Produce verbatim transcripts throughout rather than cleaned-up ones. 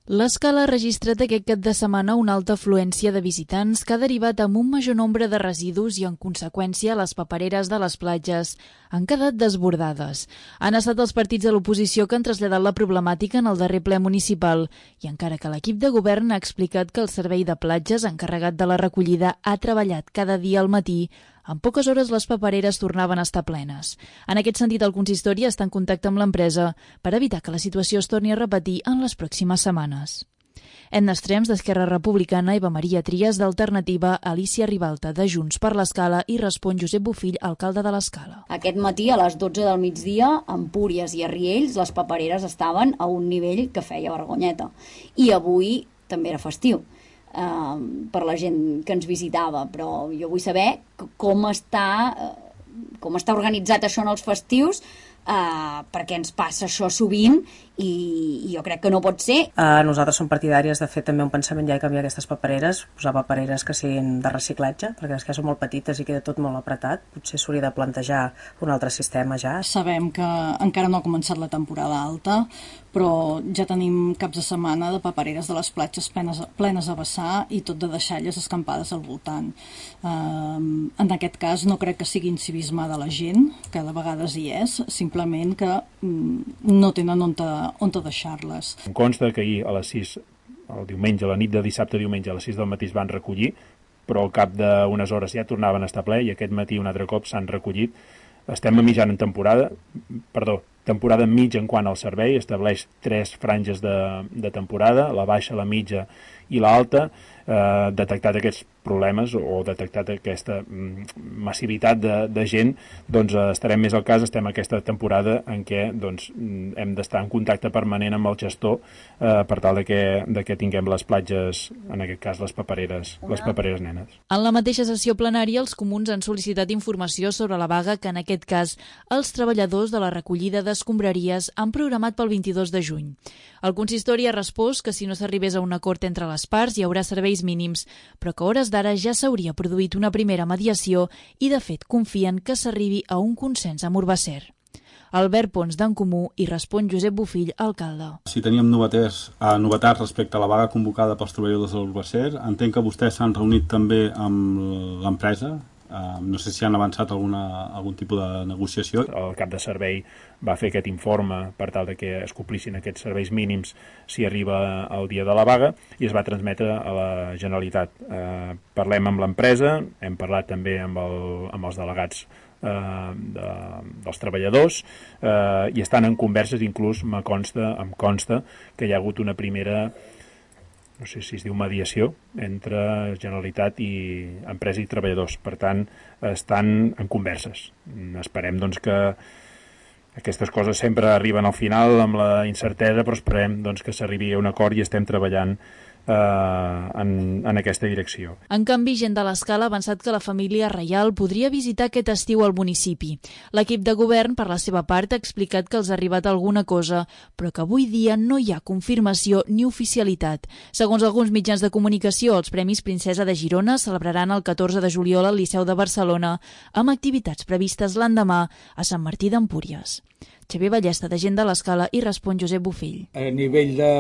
L'Escala ha registrat aquest cap de setmana una alta afluència de visitants que ha derivat amb un major nombre de residus i, en conseqüència, les papereres de les platges han quedat desbordades. Han estat els partits de l'oposició que han traslladat la problemàtica en el darrer ple municipal i, encara que l'equip de govern ha explicat que el servei de platges encarregat de la recollida ha treballat cada dia al matí, en poques hores les papereres tornaven a estar plenes. En aquest sentit, el consistori està en contacte amb l'empresa per evitar que la situació es torni a repetir en les pròximes setmanes. Edna Estrems, d'Esquerra Republicana, Eva Maria Trias, d'Alternativa, Alicia Ribalta, de Junts per l'Escala i respon Josep Bofill, alcalde de l'Escala. Aquest matí, a les dotze del migdia, a Empúries i a Riells, les papereres estaven a un nivell que feia vergonyeta. I avui també era festiu. Uh, per la gent que ens visitava, però jo vull saber com està, uh, com està organitzat això en els festius, uh, perquè ens passa això sovint i, i jo crec que no pot ser. Uh, nosaltres som partidàries de fer també un pensament ja de canviar aquestes papereres, posar papereres que siguin de reciclatge, perquè les que són molt petites i queda tot molt apretat. Potser s'hauria de plantejar un altre sistema ja. Sabem que encara no ha començat la temporada alta, però ja tenim caps de setmana de papereres de les platges plenes, plenes a vessar i tot de deixalles escampades al voltant. Uh, en aquest cas no crec que sigui incivisme de la gent, que de vegades hi és, simplement que um, no tenen on, te, on te deixar-les. Em consta que ahir a les sis, el diumenge, a la nit de dissabte a diumenge, a les sis del matí es van recollir, però al cap d'unes hores ja tornaven a estar ple i aquest matí un altre cop s'han recollit. Estem a mitjana en temporada, perdó, temporada mitja en quant al servei, estableix tres franges de, de temporada, la baixa, la mitja i l'alta, eh, detectat aquests problemes o detectat aquesta massivitat de, de gent, doncs eh, estarem més al cas, estem en aquesta temporada en què doncs, hem d'estar en contacte permanent amb el gestor eh, per tal de que, de que tinguem les platges, en aquest cas les papereres, les papereres nenes. En la mateixa sessió plenària, els comuns han sol·licitat informació sobre la vaga que en aquest cas els treballadors de la recollida d'escombraries han programat pel vint-i-dos de juny. El consistori ha respost que si no s'arribés a un acord entre les parts hi haurà serveis mínims, però que a hores d'ara ja s'hauria produït una primera mediació i, de fet, confien que s'arribi a un consens amb Urbacer. Albert Pons, d'En Comú, i respon Josep Bofill, alcalde. Si teníem novetats, eh, novetats respecte a la vaga convocada pels treballadors de l'Urbacer, entenc que vostès s'han reunit també amb l'empresa. Uh, no sé si han avançat alguna, algun tipus de negociació. El cap de servei va fer aquest informe per tal de que es complissin aquests serveis mínims si arriba el dia de la vaga i es va transmetre a la Generalitat. Uh, parlem amb l'empresa, hem parlat també amb, el, amb els delegats uh, de, dels treballadors uh, i estan en converses, inclús me consta, em consta que hi ha hagut una primera, no sé si es diu mediació, entre Generalitat i empresa i treballadors. Per tant, estan en converses. Esperem doncs, que aquestes coses sempre arriben al final amb la incertesa, però esperem doncs, que s'arribi a un acord i estem treballant eh, en, en aquesta direcció. En canvi, gent de l'Escala ha avançat que la família reial podria visitar aquest estiu al municipi. L'equip de govern, per la seva part, ha explicat que els ha arribat alguna cosa, però que avui dia no hi ha confirmació ni oficialitat. Segons alguns mitjans de comunicació, els Premis Princesa de Girona celebraran el catorze de juliol al Liceu de Barcelona, amb activitats previstes l'endemà a Sant Martí d'Empúries. Xavier Ballesta, de Gent de l'Escala, i respon Josep Bofill. A nivell de,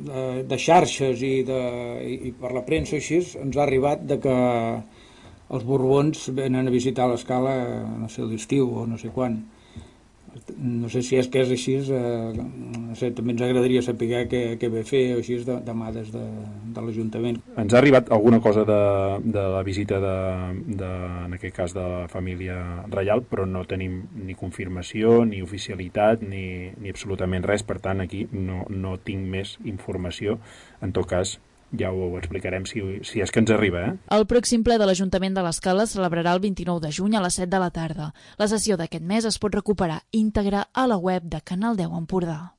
de, de xarxes i, de, i per la premsa així, ens ha arribat de que els Borbons venen a visitar l'Escala, no sé, l'estiu o no sé quan. No sé si és que és així, eh, no sé, també ens agradaria saber què, què ve fer o així de, demà des de, de l'Ajuntament. Ens ha arribat alguna cosa de, de la visita, de, de, en aquest cas, de la família reial, però no tenim ni confirmació, ni oficialitat, ni, ni absolutament res. Per tant, aquí no, no tinc més informació. En tot cas, ja ho explicarem si, si és que ens arriba. Eh? El pròxim ple de l'Ajuntament de l'Escala es celebrarà el vint-i-nou de juny a les set de la tarda. La sessió d'aquest mes es pot recuperar íntegra a la web de Canal deu Empordà.